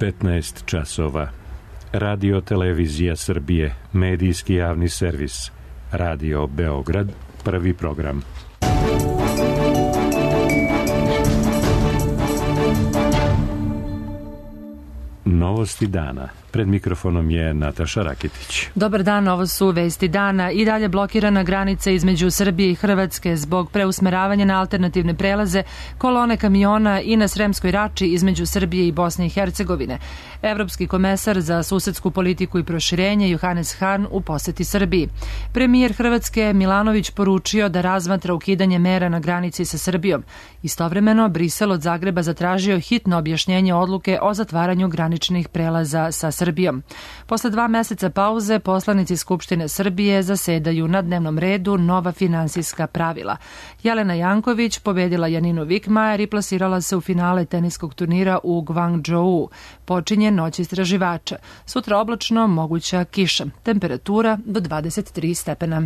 15 časova. Radio Televizija Srbije, medijski javni servis. Radio Beograd, prvi program. Novosti dana. Pred mikrofonom je Nataša Rakitić. Dobar dan, ovo su vesti dana. I dalje blokirana granica između Srbije i Hrvatske zbog preusmeravanja na alternativne prelaze, kolone kamiona i na Sremskoj Rači između Srbije i Bosne i Hercegovine. Evropski komesar za susedsku politiku i proširenje Johannes Hahn u poseti Srbiji. Premijer Hrvatske Milanović poručio da razmatra ukidanje mera na granici sa Srbijom. Istovremeno, Brisel od Zagreba zatražio hitno objašnjenje odluke o zatvaranju graničnih prelaza sa Srbijom. Posle 2 meseca pauze, poslanici Skupštine Srbije zasedaju na dnevnom redu nova finansijska pravila. Jelena Janković pobedila Janinu Vikmajer i plasirala se u finale teniskog turnira u Guangzhou. Počinje noć istraživača. Sutra oblačno, moguća kiša. Temperatura do 23 stepena.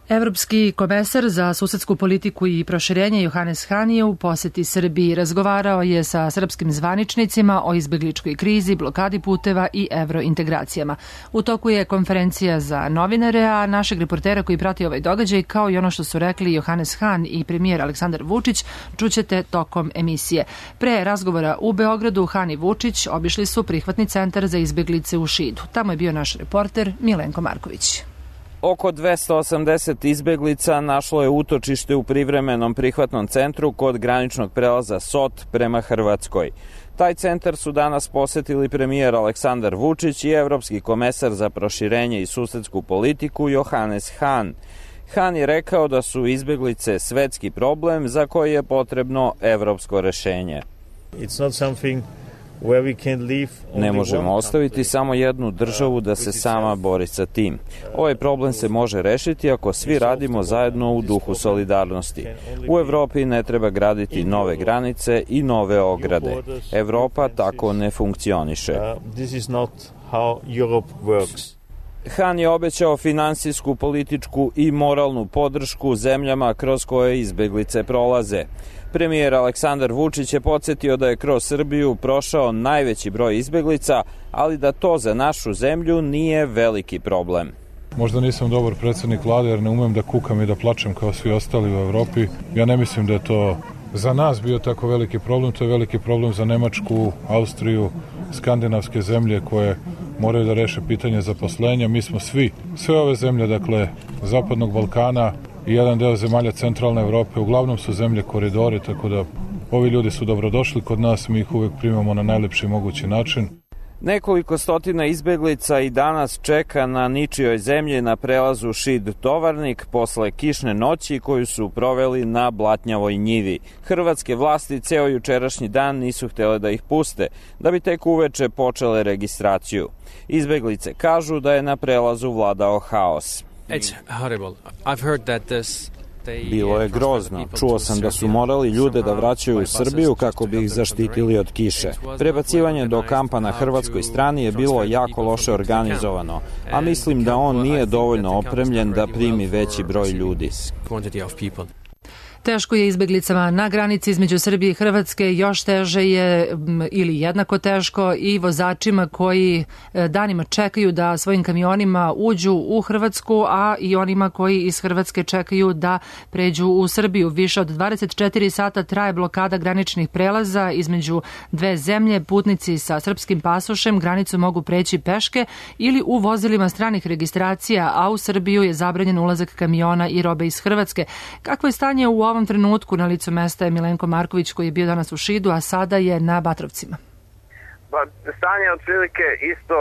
Evropski komesar za susedsku politiku i proširenje Johannes Hahn je u poseti Srbiji. Razgovarao je sa srpskim zvaničnicima o izbegličkoj krizi, blokadi puteva i evrointegracijama. U toku je konferencija za novinare, a našeg reportera koji prati ovaj događaj, kao i ono što su rekli Johannes Hahn i premijer Aleksandar Vučić, čućete tokom emisije. Pre razgovora u Beogradu, Hahn i Vučić obišli su prihvatni centar za izbeglice u Šidu. Tamo je bio naš reporter Milenko Marković. Oko 280 izbeglica našlo je utočište u privremenom prihvatnom centru kod graničnog prelaza Sot prema Hrvatskoj. Taj centar su danas posetili premijer Aleksandar Vučić i evropski komesar za proširenje i susedsku politiku Johannes Hahn. Hahn je rekao da su izbeglice svetski problem za koji je potrebno evropsko rešenje. Ne možemo ostaviti samo jednu državu da se sama bori sa tim. Ovaj problem se može rešiti ako svi radimo zajedno u duhu solidarnosti. U Evropi ne treba graditi nove granice i nove ograde. Evropa tako ne funkcioniše. Hahn je obećao finansijsku, političku i moralnu podršku zemljama kroz koje izbeglice prolaze. Premijer Aleksandar Vučić je podsjetio da je kroz Srbiju prošao najveći broj izbeglica, ali da to za našu zemlju nije veliki problem. Možda nisam dobar predsjednik vlade jer ne umem da kukam i da plačem kao svi ostali u Evropi. Ja ne mislim da je to za nas bio tako veliki problem, to je veliki problem za Nemačku, Austriju, skandinavske zemlje koje moraju da reše pitanje zaposlenja. Mi smo sve ove zemlje, dakle, Zapadnog Balkana i jedan deo zemalja centralne Evrope, uglavnom su zemlje koridori, tako da ovi ljudi su dobrodošli kod nas, mi ih uvek primamo na najlepši mogući način. Nekoliko stotina izbeglica i danas čeka na ničijoj zemlji na prelazu Šid-Tovarnik posle kišne noći koju su proveli na blatnjavoj njivi. Hrvatske vlasti ceo jučerašnji dan nisu htjele da ih puste, da bi tek uveče počele registraciju. Izbeglice kažu da je na prelazu vladao haos. Bilo je grozno. Čuo sam da su morali ljude da vraćaju u Srbiju kako bi ih zaštitili od kiše. Prebacivanje do kampa na hrvatskoj strani je bilo jako loše organizovano, a mislim da on nije dovoljno opremljen da primi veći broj ljudi. Teško je izbeglicama na granici između Srbije i Hrvatske, još teže je ili jednako teško i vozačima koji danima čekaju da svojim kamionima uđu u Hrvatsku, a i onima koji iz Hrvatske čekaju da pređu u Srbiju. Više od 24 sata traje blokada graničnih prelaza između dve zemlje. Putnici sa srpskim pasošem granicu mogu preći peške ili u vozilima stranih registracija, a u Srbiju je zabranjen ulazak kamiona i robe iz Hrvatske. Kakvo je stanje u ovom trenutku? Na licu mesta je Milenko Marković koji je bio danas u Šidu, a sada je na Batrovcima. Stanje je otprilike isto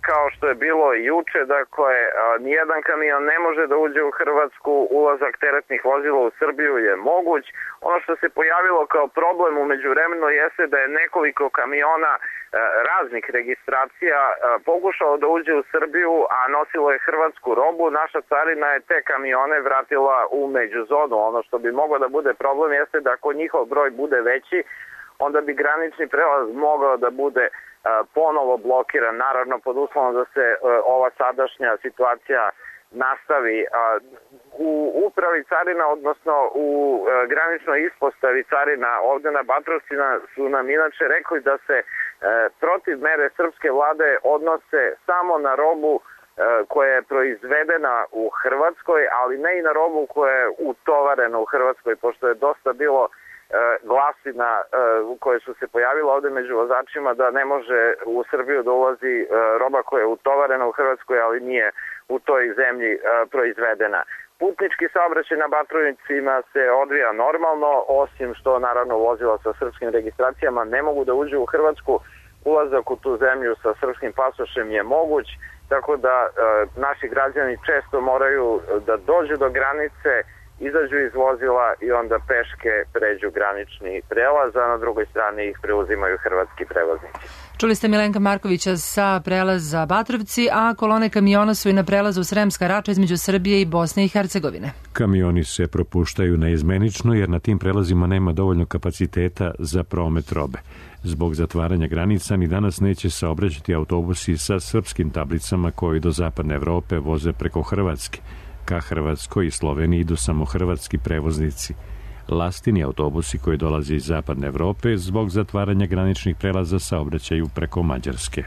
kao što je bilo i juče, dakle nijedan kamion ne može da uđe u Hrvatsku, ulazak teretnih vozila u Srbiju je moguć. Ono što se pojavilo kao problem u međuvremenu jeste da je nekoliko kamiona raznih registracija pokušalo da uđe u Srbiju, a nosilo je hrvatsku robu. Naša carina je te kamione vratila u međuzonu. Ono što bi moglo da bude problem jeste da ako njihov broj bude veći, onda bi granični prelaz mogao da bude ponovo blokiran, naravno pod uslovom da se ova sadašnja situacija nastavi. U upravi carina, odnosno u graničnoj ispostavi carina ovde na Batrovcima su nam inače rekli da se protiv mere srpske vlade odnose samo na robu koja je proizvedena u Hrvatskoj, ali ne i na robu koja je utovarena u Hrvatskoj, pošto je dosta bilo glasina koje su se pojavile ovde među vozačima da ne može u Srbiju da ulazi roba koja je utovarena u Hrvatskoj, ali nije u toj zemlji proizvedena. Putnički saobraćaj na Batrovicima se odvija normalno, osim što naravno vozila sa srpskim registracijama ne mogu da uđu u Hrvatsku. Ulazak u tu zemlju sa srpskim pasošem je moguć, tako da naši građani često moraju da dođu do granice, izađu iz vozila i onda peške pređu granični prelaz, a na drugoj strani ih preuzimaju hrvatski prevoznici. Čuli ste Milenka Markovića sa prelaza Batrovci, a kolone kamiona su i na prelazu Sremska Rača između Srbije i Bosne i Hercegovine. Kamioni se propuštaju neizmenično jer na tim prelazima nema dovoljno kapaciteta za promet robe. Zbog zatvaranja granica ni danas neće saobraćati autobusi sa srpskim tablicama koji do zapadne Evrope voze preko Hrvatske. Ka Hrvatskoj i Sloveniji idu samo hrvatski prevoznici. Lastini autobusi koji dolaze iz zapadne Evrope zbog zatvaranja graničnih prelaza saobraćaju preko Mađarske.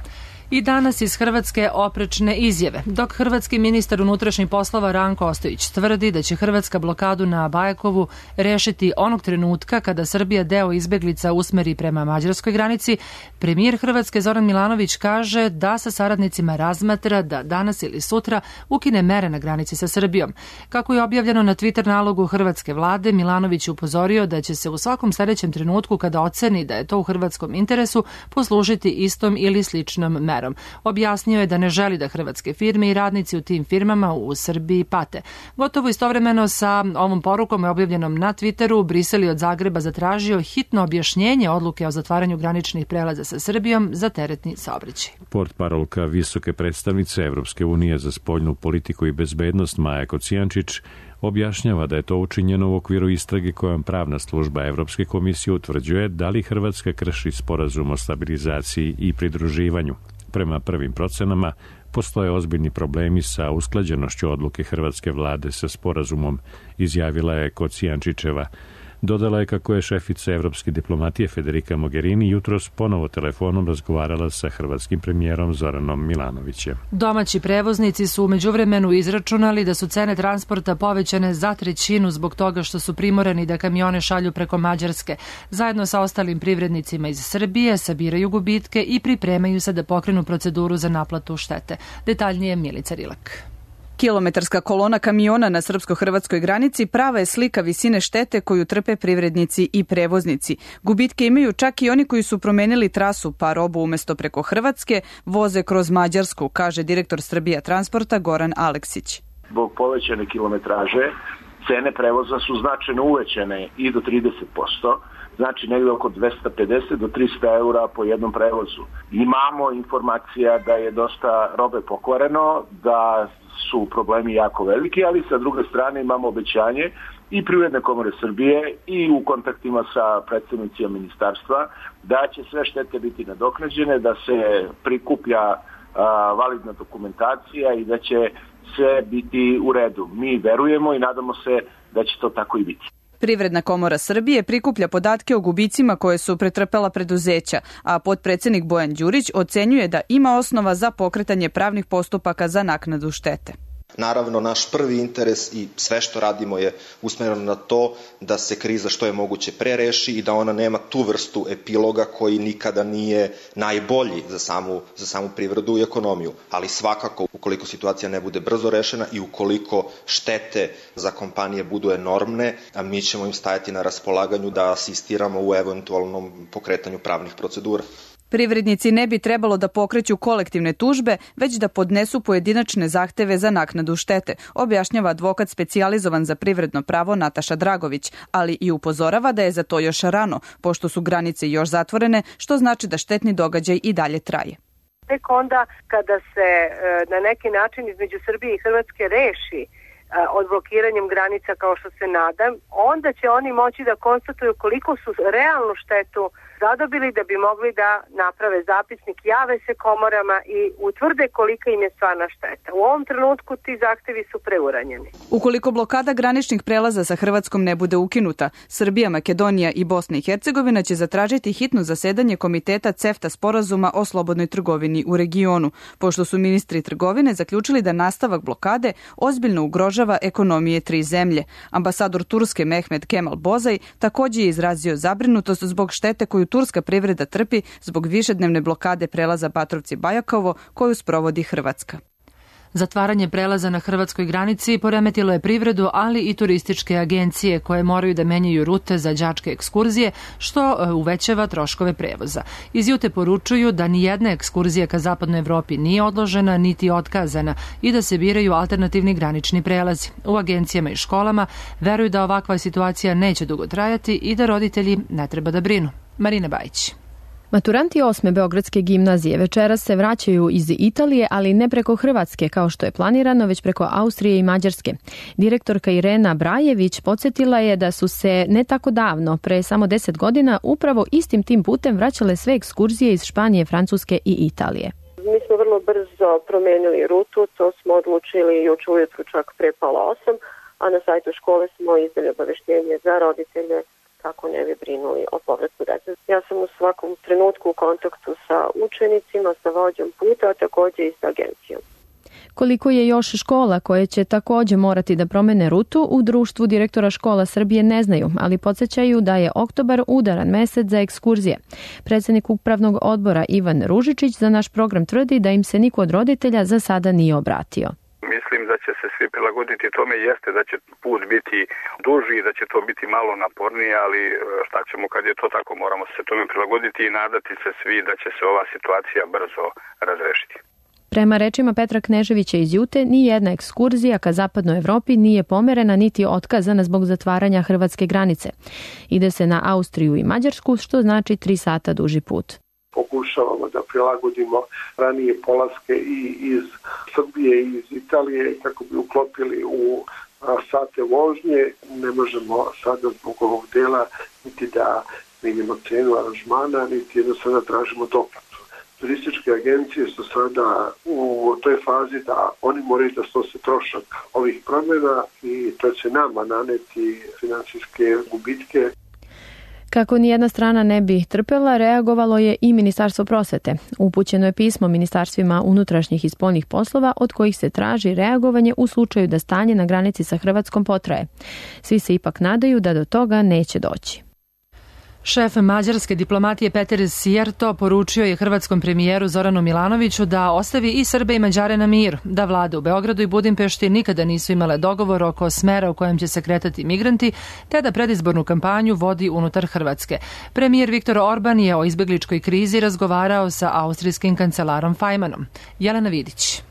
I danas iz Hrvatske oprečne izjave. Dok hrvatski ministar unutrašnjih poslova Ranko Ostojić tvrdi da će Hrvatska blokadu na Bajakovu rešiti onog trenutka kada Srbija deo izbeglica usmeri prema mađarskoj granici, premijer Hrvatske Zoran Milanović kaže da sa saradnicima razmatra da danas ili sutra ukine mere na granici sa Srbijom. Kako je objavljeno na Twitter nalogu hrvatske vlade, Milanović je upozorio da će se u svakom sledećem trenutku kada oceni da je to u hrvatskom interesu poslužiti istom ili sličnom merom. Objasnio je da ne želi da hrvatske firme i radnici u tim firmama u Srbiji pate. Gotovo istovremeno sa ovom porukom je objavljenom na Twitteru, Brisel je od Zagreba zatražio hitno objašnjenje odluke o zatvaranju graničnih prelaza sa Srbijom za teretni saobraćaj. Portparolka visoke predstavnice Evropske unije za spoljnu politiku i bezbednost Maja Kocijančić objašnjava da je to učinjeno u okviru istrage kojom pravna služba Evropske komisije utvrđuje da li Hrvatska krši sporazum o stabilizaciji i pridruživanju. Prema prvim procenama, postoje ozbiljni problemi sa usklađenošću odluke hrvatske vlade sa sporazumom, izjavila je Kocijančićeva. Dodala je kako je šefica evropske diplomatije Federica Mogherini jutros ponovo telefonom razgovarala sa hrvatskim premijerom Zoranom Milanovićem. Domaći prevoznici su u međuvremenu izračunali da su cene transporta povećane za 1/3 zbog toga što su primorani da kamione šalju preko Mađarske. Zajedno sa ostalim privrednicima iz Srbije sabiraju gubitke i pripremaju se da pokrenu proceduru za naplatu štete. Detaljnije Milica Rilak. Kilometarska kolona kamiona na srpsko-hrvatskoj granici prava je slika visine štete koju trpe privrednici i prevoznici. Gubitke imaju čak i oni koji su promenili trasu, pa robu umesto preko Hrvatske voze kroz Mađarsku, kaže direktor Srbija transporta Goran Aleksić. Zbog povećane kilometraže cene prevoza su značajno uvećane i do 30%. Znači negdje oko 250 do 300 eura po jednom prevozu. Imamo informacija da je dosta robe pokvareno, da su problemi jako veliki, ali sa druge strane imamo obećanje i Privredne komore Srbije i u kontaktima sa predstavnicima ministarstva da će sve štete biti nadoknađene, da se prikuplja validna dokumentacija i da će sve biti u redu. Mi verujemo i nadamo se da će to tako i biti. Privredna komora Srbije prikuplja podatke o gubicima koje su pretrpela preduzeća, a potpredsednik Bojan Đurić ocenjuje da ima osnova za pokretanje pravnih postupaka za naknadu štete. Naravno, naš prvi interes i sve što radimo je usmereno na to da se kriza što je moguće pre reši i da ona nema tu vrstu epiloga koji nikada nije najbolji za samu privredu i ekonomiju. Ali svakako, ukoliko situacija ne bude brzo rešena i ukoliko štete za kompanije budu enormne, mi ćemo im stajati na raspolaganju da asistiramo u eventualnom pokretanju pravnih procedura. Privrednici ne bi trebalo da pokreću kolektivne tužbe, već da podnesu pojedinačne zahteve za naknadu štete, objašnjava advokat specijalizovan za privredno pravo Nataša Dragović, ali i upozorava da je za to još rano, pošto su granice još zatvorene, što znači da štetni događaj i dalje traje. Tek onda kada se na neki način između Srbije i Hrvatske reši odblokiranjem granica kao što se nadam, onda će oni moći da konstatuju koliko su realnu štetu zadobili da bi mogli da naprave zapisnik, jave se komorama i utvrde kolika im je stvarna šteta. U ovom trenutku ti zahtevi su preuranjeni. Ukoliko blokada graničnih prelaza sa Hrvatskom ne bude ukinuta, Srbija, Makedonija i Bosna i Hercegovina će zatražiti hitno zasedanje Komiteta CEFTA sporazuma o slobodnoj trgovini u regionu, pošto su ministri trgovine zaključili da nastavak blokade ozbiljno ugrožava ekonomije tri zemlje. Ambasador Turske Mehmet Kemal Bozaj također je izrazio zabrinutost zbog štete koju turska privreda trpi zbog višednevne blokade prelaza Batrovci-Bajakovo koju sprovodi Hrvatska. Zatvaranje prelaza na hrvatskoj granici poremetilo je privredu, ali i turističke agencije koje moraju da menjaju rute za đačke ekskurzije, što uvećava troškove prevoza. Iz Jute poručuju da ni jedna ekskurzija ka zapadnoj Evropi nije odložena niti otkazana i da se biraju alternativni granični prelazi. U agencijama i školama veruju da ovakva situacija neće dugo trajati i da roditelji ne treba da brinu. Marina Bajić. Maturanti 8. Beogradske gimnazije večeras se vraćaju iz Italije, ali ne preko Hrvatske kao što je planirano, već preko Austrije i Mađarske. Direktorka Irena Brajević podsjetila je da su se ne tako davno, pre samo 10 godina, upravo istim tim putem vraćale sve ekskurzije iz Španije, Francuske i Italije. Mi smo vrlo brzo promenili rutu, to smo odlučili juče ujutru čak pre pola 8, a na sajtu škole smo izdali obaveštenje za roditelje kako ne bi brinuli o povratku dece. Ja sam u svakom trenutku u kontaktu sa učenicima, sa vođom puta, a također i sa agencijom. Koliko je još škola koje će također morati da promene rutu, u društvu direktora škola Srbije ne znaju, ali podsjećaju da je oktobar udaran mesec za ekskurzije. Predsjednik upravnog odbora Ivan Ružičić za naš program tvrdi da im se niko od roditelja za sada nije obratio. Mislim da će se svi prilagoditi tome, jeste da će put biti duži, da će to biti malo napornije, ali šta ćemo kad je to tako, moramo se tome prilagoditi i nadati se svi da će se ova situacija brzo razrešiti. Prema rečima Petra Kneževića iz Jute, ni jedna ekskurzija ka zapadnoj Evropi nije pomerena niti otkazana zbog zatvaranja hrvatske granice. Ide se na Austriju i Mađarsku, što znači 3 sata duži put. Pokušavamo da prilagodimo ranije polaske i iz Srbije i iz Italije kako bi uklopili u sate vožnje. Ne možemo sada zbog ovog dela niti da menjamo cenu aranžmana, niti jednostavno tražimo doplatu. Turističke agencije su sada u toj fazi da oni moraju da snose trošak ovih promjena i to će nama naneti finansijske gubitke. Kako nijedna strana ne bi trpela, reagovalo je i Ministarstvo prosvete. Upućeno je pismo ministarstvima unutrašnjih i spoljnih poslova od kojih se traži reagovanje u slučaju da stanje na granici sa Hrvatskom potraje. Svi se ipak nadaju da do toga neće doći. Šef mađarske diplomatije Peter Sijarto poručio je hrvatskom premijeru Zoranu Milanoviću da ostavi i Srbe i Mađare na miru, da vlade u Beogradu i Budimpešti nikada nisu imale dogovor oko smera u kojem će se kretati migranti, te da predizbornu kampanju vodi unutar Hrvatske. Premijer Viktor Orban je o izbegličkoj krizi razgovarao sa austrijskim kancelarom Fajmanom. Jelena Vidić.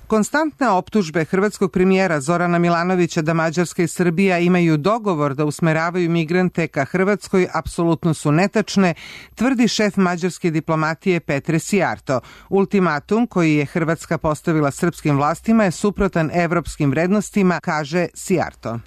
Konstantne optužbe hrvatskog premijera Zorana Milanovića da Mađarska i Srbija imaju dogovor da usmeravaju migrante ka Hrvatskoj apsolutno su netačne, tvrdi šef mađarske diplomatije Petre Sijarto. Ultimatum koji je Hrvatska postavila srpskim vlastima je suprotan evropskim vrednostima, kaže Sijarto.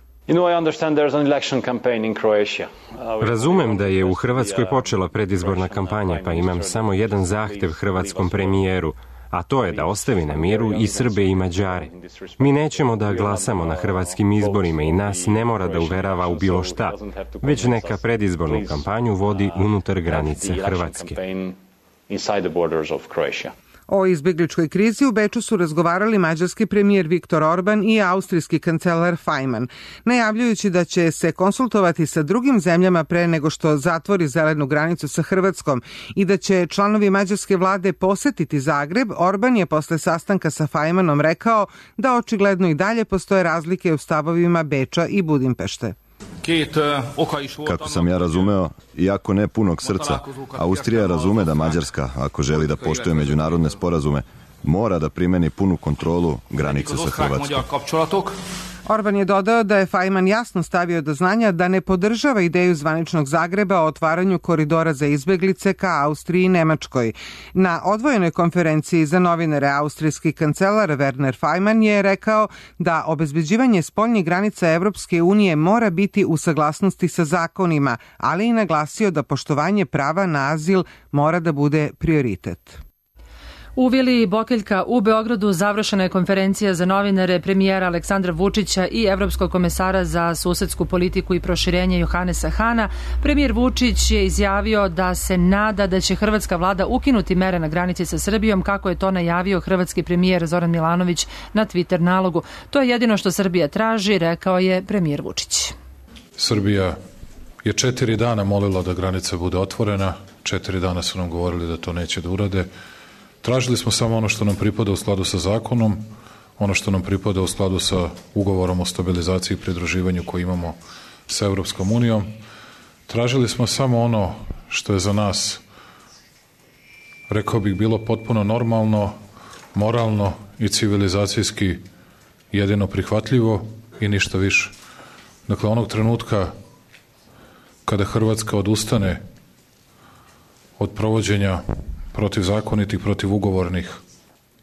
Razumem da je u Hrvatskoj počela predizborna kampanja, pa imam samo jedan zahtev hrvatskom premijeru, a to je da ostavi na miru i Srbe i Mađare. Mi nećemo da glasamo na hrvatskim izborima i nas ne mora da uverava u bilo šta, već neka predizbornu kampanju vodi unutar granice Hrvatske. O izbegličkoj krizi u Beču su razgovarali mađarski premijer Viktor Orban i austrijski kancelar Fajman, najavljujući da će se konsultovati sa drugim zemljama pre nego što zatvori zelenu granicu sa Hrvatskom i da će članovi mađarske vlade posetiti Zagreb. Orban je posle sastanka sa Fajmanom rekao da očigledno i dalje postoje razlike u stavovima Beča i Budimpešte. Kako sam ja razumeo, iako ne punog srca, Austrija razume da Mađarska, ako želi da poštuje međunarodne sporazume, mora da primeni punu kontrolu granice sa Hrvatskom. Orban je dodao da je Fajman jasno stavio do znanja da ne podržava ideju zvaničnog Zagreba o otvaranju koridora za izbeglice ka Austriji i Nemačkoj. Na odvojenoj konferenciji za novinare austrijski kancelar Werner Fajman je rekao da obezbeđivanje spoljnih granica Evropske unije mora biti u saglasnosti sa zakonima, ali i naglasio da poštovanje prava na azil mora da bude prioritet. U Vili Bokeljka u Beogradu završena je konferencija za novinare premijera Aleksandra Vučića i evropskog komesara za susedsku politiku i proširenje Johanesa Hana. Premijer Vučić je izjavio da se nada da će hrvatska vlada ukinuti mere na granici sa Srbijom, kako je to najavio hrvatski premijer Zoran Milanović na Twitter nalogu. To je jedino što Srbija traži, rekao je premijer Vučić. Srbija je 4 dana molila da granica bude otvorena, 4 dana su nam govorili da to neće da urade. Tražili smo samo ono što nam pripada u skladu sa zakonom, ono što nam pripada u skladu sa ugovorom o stabilizaciji i pridruživanju koji imamo sa Evropskom unijom. Tražili smo samo ono što je za nas, rekao bih, bilo potpuno normalno, moralno i civilizacijski jedino prihvatljivo i ništa više. Dakle, onog trenutka kada Hrvatska odustane od provođenja protivzakonitih, protivugovornih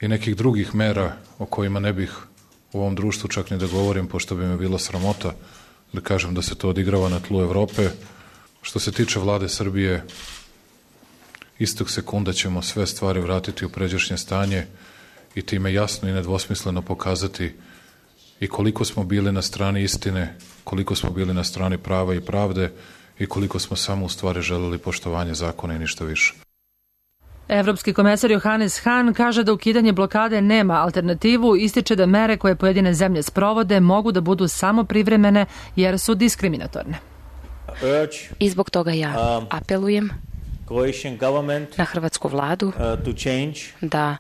i nekih drugih mera o kojima ne bih u ovom društvu čak ni da govorim, pošto bi me bilo sramota da kažem da se to odigrava na tlu Evrope. Što se tiče vlade Srbije, istog sekunda ćemo sve stvari vratiti u pređašnje stanje i time jasno i nedvosmisleno pokazati i koliko smo bili na strani istine, koliko smo bili na strani prava i pravde i koliko smo samo u stvari želeli poštovanje zakona i ništa više. Evropski komesar Johannes Hahn kaže da ukidanje blokade nema alternativu, ističe da mere koje pojedine zemlje sprovode mogu da budu samo privremene jer su diskriminatorne. I zbog toga ja apelujem na hrvatsku vladu da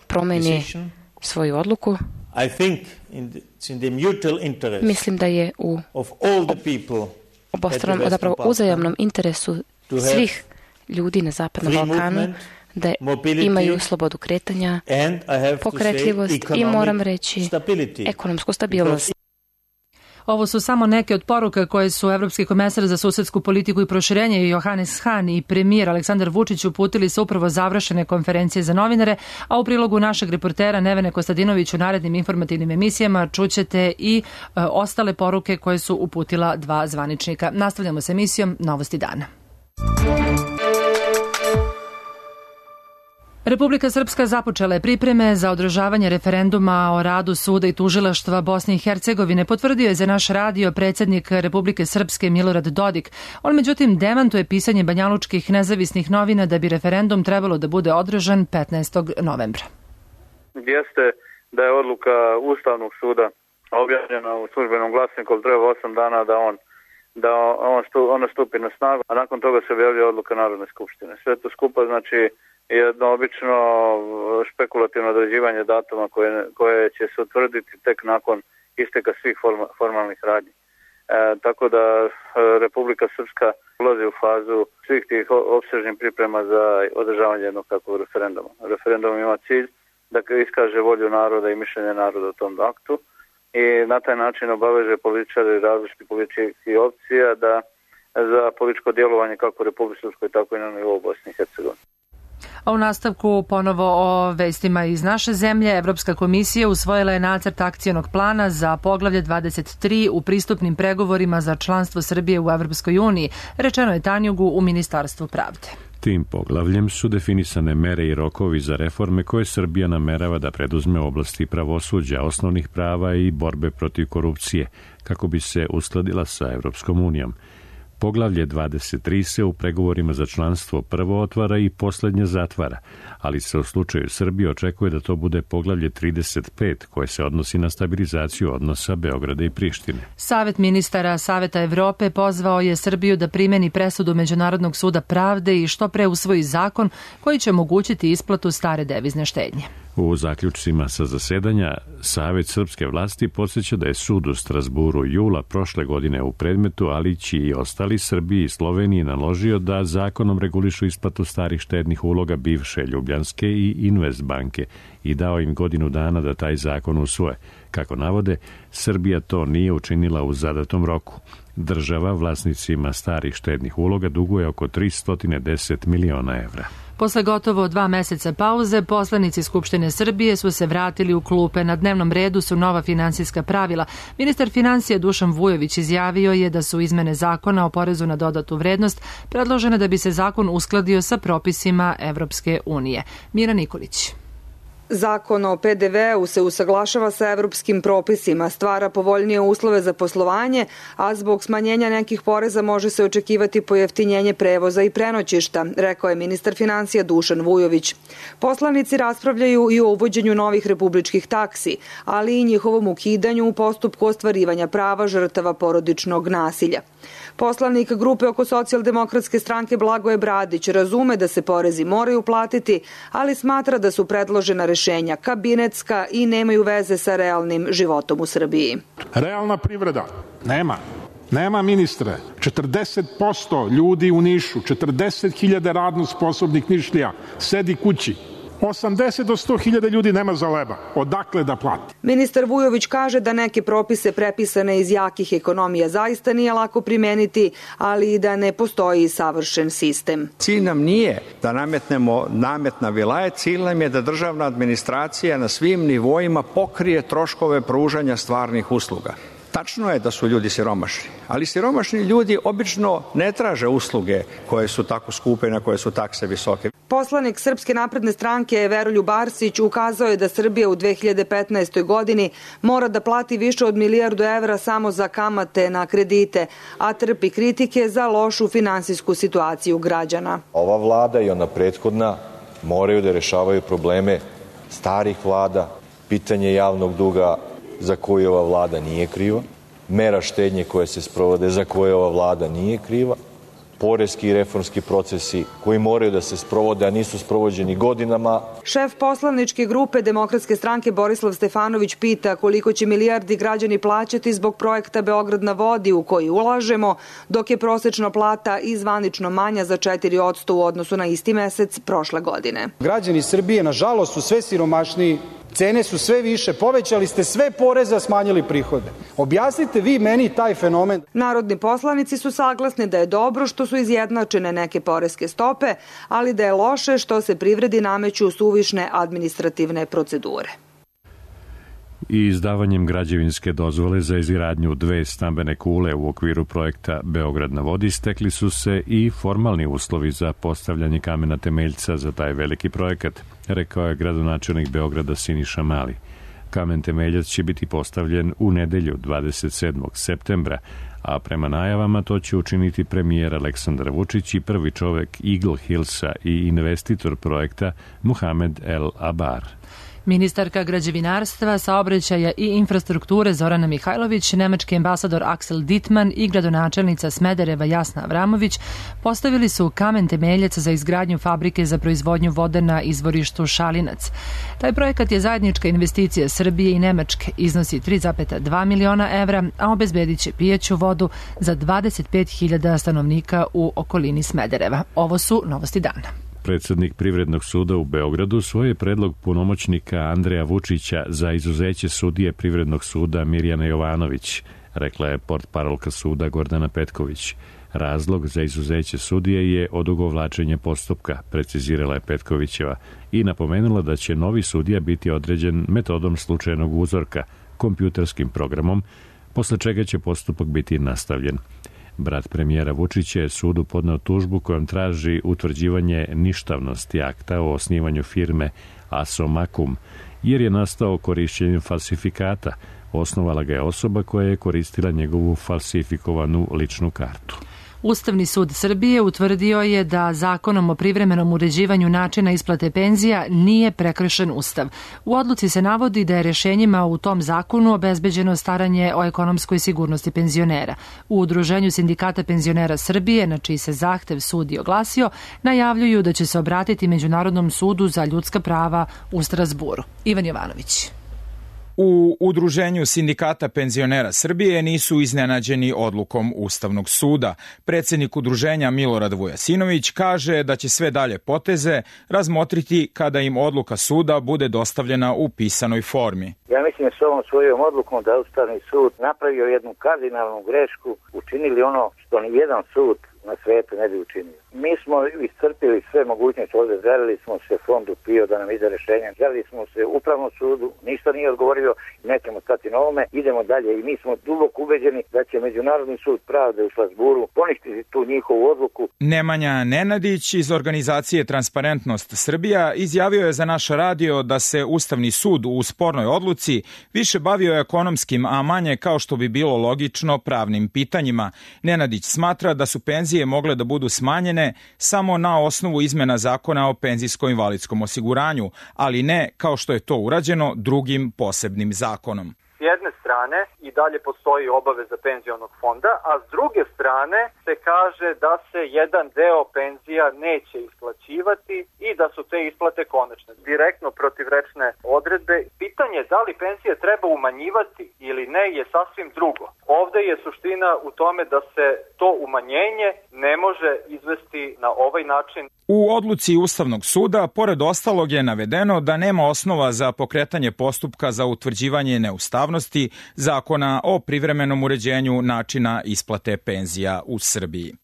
promeni svoju odluku. Mislim da je u obostranom, zapravo uzajamnom interesu svih ljudi na Zapadnom Balkanu da imaju slobodu kretanja, pokretljivost i, moram reći, ekonomsku stabilnost. Ovo su samo neke od poruka koje su Evropski komesar za susedsku politiku i proširenje Johannes Hahn i premijer Aleksandar Vučić uputili sa upravo završene konferencije za novinare, a u prilogu našeg reportera Nevene Kostadinović u narednim informativnim emisijama čućete i ostale poruke koje su uputila dva zvaničnika. Nastavljamo s emisijom Novosti dana. Republika Srpska započela je pripreme za održavanje referenduma o radu suda i tužilaštva Bosne i Hercegovine, potvrdio je za naš radio predsjednik Republike Srpske Milorad Dodik. On međutim demantuje pisanje banjalučkih nezavisnih novina da bi referendum trebalo da bude održan 15. novembra. Jeste da je odluka Ustavnog suda objavljena u službenom glasniku, treba 8 dana da ona stupi na snagu, a nakon toga se objavlja odluka Narodne skupštine. Sve to skupa znači jedno obično špekulativno određivanje datuma koje će se utvrditi tek nakon isteka svih formalnih radnji. Tako da Republika Srpska ulazi u fazu svih tih opsežnih priprema za održavanje jednog takvog referenduma. Referendum ima cilj da iskaže volju naroda i mišljenje naroda o tom aktu i na taj način obaveže političare različitih političkih opcija da za političko djelovanje kako u Republici Srpskoj, tako i na nivou Bosne i Hercegovine. A u nastavku ponovo o vestima iz naše zemlje. Evropska komisija usvojila je nacrt akcionog plana za poglavlje 23 u pristupnim pregovorima za članstvo Srbije u Evropskoj uniji, rečeno je Tanjugu u Ministarstvu pravde. Tim poglavljem su definisane mere i rokovi za reforme koje Srbija namerava da preduzme u oblasti pravosuđa, osnovnih prava i borbe protiv korupcije, kako bi se uskladila sa Evropskom unijom. Poglavlje 23 se u pregovorima za članstvo prvo otvara i posljednje zatvara, ali se u slučaju Srbije očekuje da to bude poglavlje 35 koje se odnosi na stabilizaciju odnosa Beograda i Prištine. Savet ministara Saveta Evrope pozvao je Srbiju da primeni presudu Međunarodnog suda pravde i što pre usvoji zakon koji će omogućiti isplatu stare devizne štednje. U zaključcima sa zasedanja, Savet srpske vlasti podsjeća da je sud u Strasburu jula prošle godine u predmetu Alići i ostali Srbiji i Sloveniji naložio da zakonom regulišu isplatu starih štednih uloga bivše Ljubljanske i Investbanke i dao im godinu dana da taj zakon usvoje. Kako navode, Srbija to nije učinila u zadatom roku. Država vlasnicima starih štednih uloga duguje oko 310 miliona evra. Posle gotovo 2 meseca pauze, poslanici Skupštine Srbije su se vratili u klupe. Na dnevnom redu su nova finansijska pravila. Ministar financija Dušan Vujović izjavio je da su izmene zakona o porezu na dodatu vrednost predložene da bi se zakon uskladio sa propisima Evropske unije. Mira Nikolić. Zakon o PDV-u se usaglašava sa evropskim propisima, stvara povoljnije uslove za poslovanje, a zbog smanjenja nekih poreza može se očekivati pojeftinjenje prevoza i prenoćišta, rekao je ministar financija Dušan Vujović. Poslanici raspravljaju i o uvođenju novih republičkih taksi, ali i njihovom ukidanju u postupku ostvarivanja prava žrtava porodičnog nasilja. Poslanik grupe oko Socijaldemokratske stranke Blagoje Bradić razume da se porezi moraju platiti, ali smatra da su predložena rešenja kabinetska i nemaju veze sa realnim životom u Srbiji. Realna privreda nema ministre. 40% ljudi u Nišu, 40.000 radno sposobnih Nišlija sedi kući. 80 do 100.000 ljudi nema za leba. Odakle da plati? Ministar Vujović kaže da neke propise prepisane iz jakih ekonomija zaista nije lako primeniti, ali i da ne postoji savršen sistem. Cilj nam nije da nametnemo namet na vilaje, cilj nam je da državna administracija na svim nivoima pokrije troškove pružanja stvarnih usluga. Tačno je da su ljudi siromašni, ali siromašni ljudi obično ne traže usluge koje su tako skupe i na koje su takse visoke. Poslanik Srpske napredne stranke Veroljub Arsić ukazao je da Srbija u 2015. godini mora da plati više od 1 milijardu evra samo za kamate na kredite, a trpi kritike za lošu finansijsku situaciju građana. Ova vlada i ona prethodna moraju da rešavaju probleme starih vlada, pitanje javnog duga za koju ova vlada nije kriva, mera štednje koje se sprovode za koje ova vlada nije kriva, poreski i reformski procesi koji moraju da se sprovode, a nisu sprovođeni godinama. Šef poslaničke grupe Demokratske stranke Borislav Stefanović pita koliko će milijardi građani plaćati zbog projekta Beograd na vodi u koji ulažemo, dok je prosečna plata i zvanično manja za 4% u odnosu na isti mesec prošle godine. Građani Srbije, nažalost, su sve siromašniji, cene su sve više, povećali ste sve poreze, a smanjili prihode. Objasnite vi meni taj fenomen. Narodni poslanici su saglasni da je dobro što su izjednačene neke poreske stope, ali da je loše što se privredi nameću suvišne administrativne procedure. I izdavanjem građevinske dozvole za izgradnju 2 stambene kule u okviru projekta Beograd na vodi stekli su se i formalni uslovi za postavljanje kamena temeljca za taj veliki projekat, rekao je gradonačelnik Beograda Siniša Mali. Kamen temeljac će biti postavljen u nedelju 27. septembra, a prema najavama to će učiniti premijer Aleksandar Vučić i prvi čovek Eagle Hillsa i investitor projekta Muhamed El Abar. Ministarka građevinarstva, saobraćaja i infrastrukture Zorana Mihajlović, nemački ambasador Axel Dittmann i gradonačelnica Smedereva Jasna Avramović postavili su kamen temeljac za izgradnju fabrike za proizvodnju vode na izvorištu Šalinac. Taj projekat je zajednička investicija Srbije i Nemačke, iznosi 3,2 miliona evra, a obezbedit će pijaću vodu za 25.000 stanovnika u okolini Smedereva. Ovo su novosti dana. Predsednik Privrednog suda u Beogradu svoj je predlog punomoćnika Andreja Vučića za izuzeće sudije Privrednog suda Mirjana Jovanović, rekla je portparolka suda Gordana Petković. Razlog za izuzeće sudije je odugovlačenje postupka, precizirala je Petkovićeva i napomenula da će novi sudija biti određen metodom slučajnog uzorka, kompjuterskim programom, posle čega će postupak biti nastavljen. Brat premijera Vučića je sudu podneo tužbu kojom traži utvrđivanje ništavnosti akta o osnivanju firme Asomakum, jer je nastao korišćenjem falsifikata. Osnovala ga je osoba koja je koristila njegovu falsifikovanu ličnu kartu. Ustavni sud Srbije utvrdio je da zakonom o privremenom uređivanju načina isplate penzija nije prekršen Ustav. U odluci se navodi da je rešenjima u tom zakonu obezbeđeno staranje o ekonomskoj sigurnosti penzionera. U Udruženju sindikata penzionera Srbije, na čiji se zahtev sud i oglasio, najavljuju da će se obratiti Međunarodnom sudu za ljudska prava u Strazburu. Ivan Jovanović. U Udruženju sindikata penzionera Srbije nisu iznenađeni odlukom Ustavnog suda. Predsednik udruženja Milorad Vujasinović kaže da će sve dalje poteze razmotriti kada im odluka suda bude dostavljena u pisanoj formi. Ja mislim da s ovom svojom odlukom da Ustavni sud napravio jednu kardinalnu grešku, učinili ono što ni jedan sud na svetu ne bi učinio. Mi smo iscrpili sve mogućnosti ovde, želili smo se fondu PIO da nam ide rešenje, želili smo se Upravnom sudu, ništa nije odgovorio i nećemo stati na ovome, idemo dalje i mi smo duboko ubeđeni da će Međunarodni sud pravde u Strazburu poništiti tu njihovu odluku. Nemanja Nenadić iz organizacije Transparentnost Srbija izjavio je za naš radio da se Ustavni sud u spornoj odluci više bavio ekonomskim, a manje, kao što bi bilo logično, pravnim pitanjima. Nenadić smatra da su penzije mogle da budu smanjene samo na osnovu izmena zakona o penzijsko-invalidskom osiguranju, ali ne kao što je to urađeno drugim posebnim zakonom. S jedne strane i dalje postoji obaveza penzionog fonda, a s druge strane se kaže da se jedan deo penzija neće isplaćivati i da su te isplate konačne. Direktno protivrečne odredbe. Pitanje da li penzije treba umanjivati ili ne je sasvim drugo. Ovde je suština u tome da se to umanjenje ne može izvesti na ovaj način. U odluci Ustavnog suda, pored ostalog, je navedeno da nema osnova za pokretanje postupka za utvrđivanje neustavnosti zakona o privremenom uređenju načina isplate penzija u Srbiji.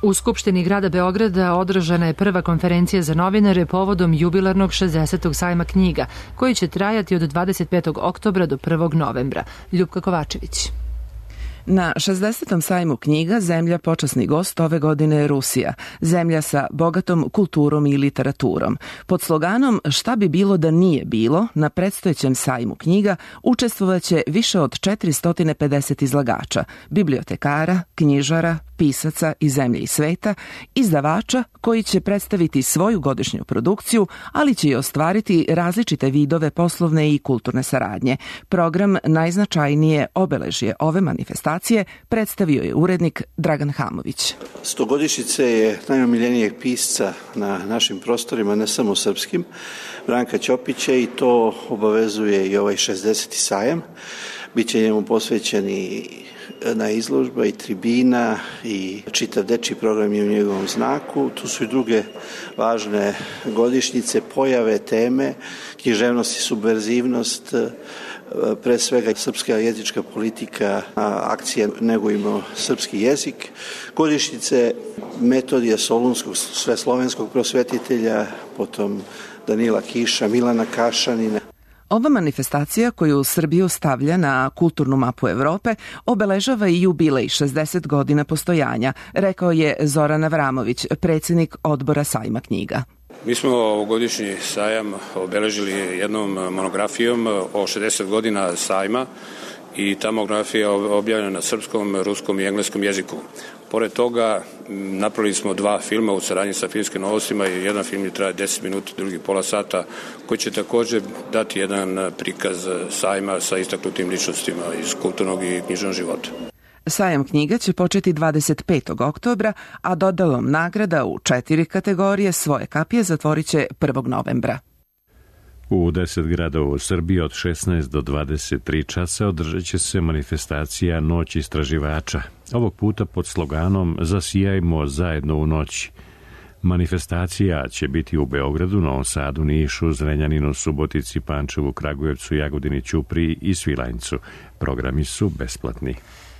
U Skupštini grada Beograda održana je prva konferencija za novinare povodom jubilarnog 60. sajma knjiga, koji će trajati od 25. oktobra do 1. novembra. Ljupka Kovačević. Na 60. sajmu knjiga zemlja počasni gost ove godine je Rusija, zemlja sa bogatom kulturom i literaturom. Pod sloganom Šta bi bilo da nije bilo, na predstojećem sajmu knjiga učestvovaće više od 450 izlagača, bibliotekara, knjižara, pisaca iz zemlje i sveta, izdavača koji će predstaviti svoju godišnju produkciju, ali će i ostvariti različite vidove poslovne i kulturne saradnje. Program najznačajnije obeležje ove manifestacije predstavio je urednik Dragan Hamović. 100-godišnjice je najomiljenijeg pisca na našim prostorima, ne samo srpskim, Branka Ćopića, i to obavezuje i ovaj 60. sajam. Biće njemu posvećeni na izložba i tribina i čitav dečji program je u njegovom znaku. Tu su i druge važne godišnjice, pojave, teme, književnost i subverzivnost, pre svega srpska jezička politika, akcija Negujmo srpski jezik, godišnjice Metodija Solunskog, sveslovenskog prosvetitelja, potom Danila Kiša, Milana Kašanina. Ova manifestacija koju Srbiju stavlja na kulturnu mapu Evrope obeležava i jubilej 60 godina postojanja, rekao je Zoran Avramović, predsjednik odbora sajma knjiga. Mi smo ovogodišnji sajam obeležili jednom monografijom o 60 godina sajma i ta monografija je objavljena na srpskom, ruskom i engleskom jeziku. Pored toga napravili smo 2 filma u saradnji sa Filmskim novostima i jedan film je traje 10 minuta, drugi pola sata, koji će također dati jedan prikaz sajma sa istaknutim ličnostima iz kulturnog i književnog života. Sajam knjiga će početi 25. oktobra, a dodalom nagrada u 4 kategorije svoje kapije zatvorit će 1. novembra. U 10 gradova u Srbiji od 16 do 23 časa održat će se manifestacija Noć istraživača. Ovog puta pod sloganom Zasijajmo zajedno u noći. Manifestacija će biti u Beogradu, Novom Sadu, Nišu, Zrenjaninu, Subotici, Pančevu, Kragujevcu, Jagodini, Ćupriji i Svilajncu. Programi su besplatni.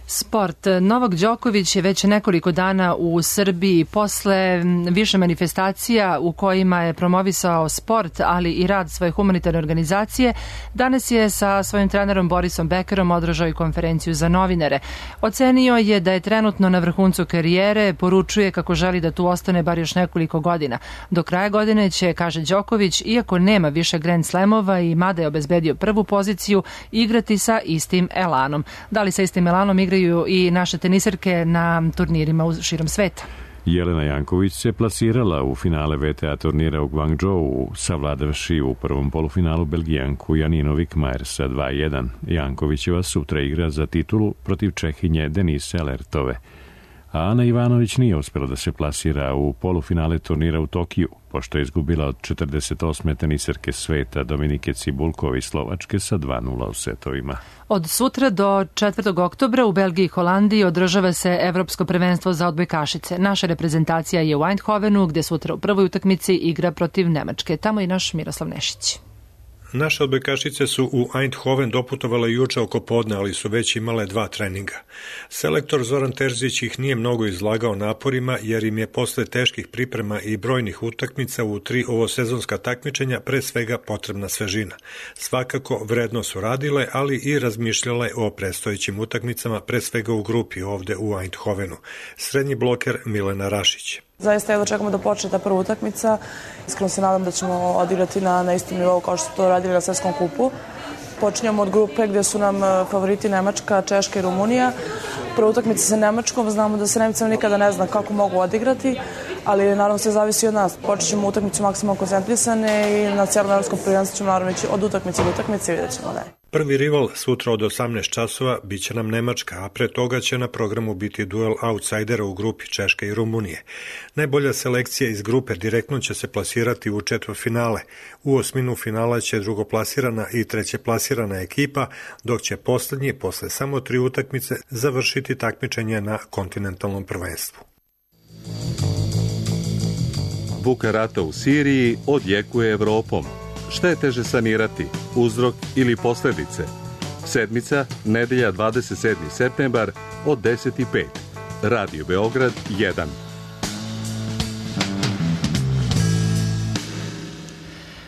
Sport. Novak Đoković je već nekoliko dana u Srbiji posle više manifestacija u kojima je promovisao sport, ali i rad svoje humanitarne organizacije. Danas je sa svojim trenerom Borisom Bekerom održao i konferenciju za novinare. Ocenio je da je trenutno na vrhuncu karijere, poručuje kako želi da tu ostane bar još nekoliko godina. Do kraja godine će, kaže Đoković, iako nema više Grand Slamova i mada je obezbedio prvu poziciju, igrati sa istim elanom. Da li sa istim elanom igra igraju i naše tenisarke na turnirima širom sveta. Jelena Janković se plasirala u finale VTA turnira u Guangzhou, savladavši u prvom polufinalu Belgijanku Janinu Vikmajer sa 2:1. Jankovićeva sutra igra za titulu protiv Čehinje Denise Alertove. A Ana Ivanović nije uspjela da se plasira u polufinale turnira u Tokiju, pošto je izgubila od 48. tenisarke sveta Dominike Cibulkove iz Slovačke sa 2:0 u setovima. Od sutra do 4. oktobra u Belgiji i Holandiji održava se Evropsko prvenstvo za odbojkašice. Naša reprezentacija je u Eindhovenu, gde sutra u prvoj utakmici igra protiv Nemačke. Tamo i naš Miroslav Nešić. Naše odbojkašice su u Eindhoven doputovale juče oko podne, ali su već imale 2 treninga. Selektor Zoran Terzić ih nije mnogo izlagao naporima, jer im je posle teških priprema i brojnih utakmica u 3 ovosezonska takmičenja pre svega potrebna svežina. Svakako vredno su radile, ali i razmišljale o predstojećim utakmicama, pre svega u grupi ovde u Eindhovenu. Srednji bloker Milena Rašić. Zaista jedno čekamo da počne ta prva utakmica. Iskreno se nadam da ćemo odigrati na istom nivou kao što su to radili na svetskom kupu. Počinjemo od grupe gdje su nam favoriti Nemačka, Češka i Rumunija. Prva utakmica sa Nemačkom, znamo da se Nemcima nikada ne zna kako mogu odigrati, ali naravno sve zavisi od nas. Počet ćemo utakmicu maksimalno koncentrisane i na cijelom evropskom prvenstvu ćemo naravno ići od utakmice do utakmice i vidjet ćemo dalje. Prvi rival sutra od 18 časova biće nam Nemačka, a pre toga će na programu biti duel outsidera u grupi Češke i Rumunije. Najbolja selekcija iz grupe direktno će se plasirati u četvrtfinale. U osminu finala će drugoplasirana i trećeplasirana ekipa, dok će poslednji, posle samo 3 utakmice, završiti takmičenje na kontinentalnom prvenstvu. Buka rata u Siriji odjekuje Evropom. Šta je teže sanirati, uzrok ili posledice? Sedmica, nedelja 27. septembar od 10:05. Radio Beograd 1.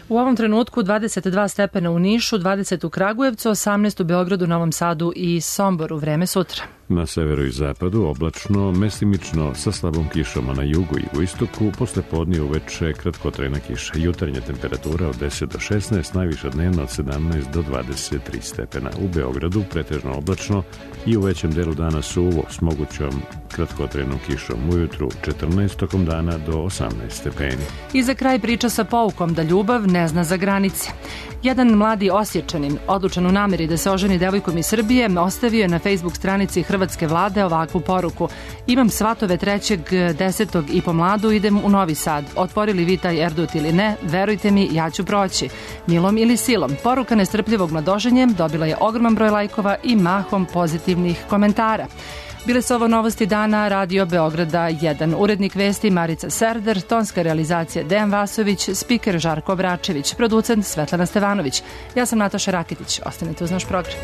U ovom trenutku 22 stepena u Nišu, 20 u Kragujevcu, 18 u Beogradu, Novom Sadu i Somboru. Vreme sutra. Na severu i zapadu oblačno, mestimično sa slabom kišom, a na jugu i jugoistoku posle podne uveče kratkotrajna kiša. Jutarnja temperatura od 10 do 16, najviša dnevna od 17 do 23 stepena. U Beogradu pretežno oblačno i u većem delu dana suvo s mogućom kratkotrajnom kišom. Ujutru 14, tokom dana do 18 stepeni. I za kraj priča sa poukom da ljubav ne zna za granice. Jedan mladi Osječanin, odlučan u nameri da se oženi devojkom iz Srbije, ostavio je na Facebook stranici hrvatske vlade ovakvu poruku. Imam svatove 3.10. i po mladu idem u Novi Sad. Otvorili vi taj erdut ili ne, verujte mi, ja ću proći. Milom ili silom. Poruka nestrpljivog mladoženjem dobila je ogroman broj lajkova i mahom pozitivnih komentara. Bile su ovo novosti dana Radio Beograda 1. Urednik vesti Marica Serder, tonska realizacija Dejan Vasović, spiker Žarko Bračević, producent Svetlana Stevanović. Ja sam Nataša Rakitić. Ostanite uz naš program.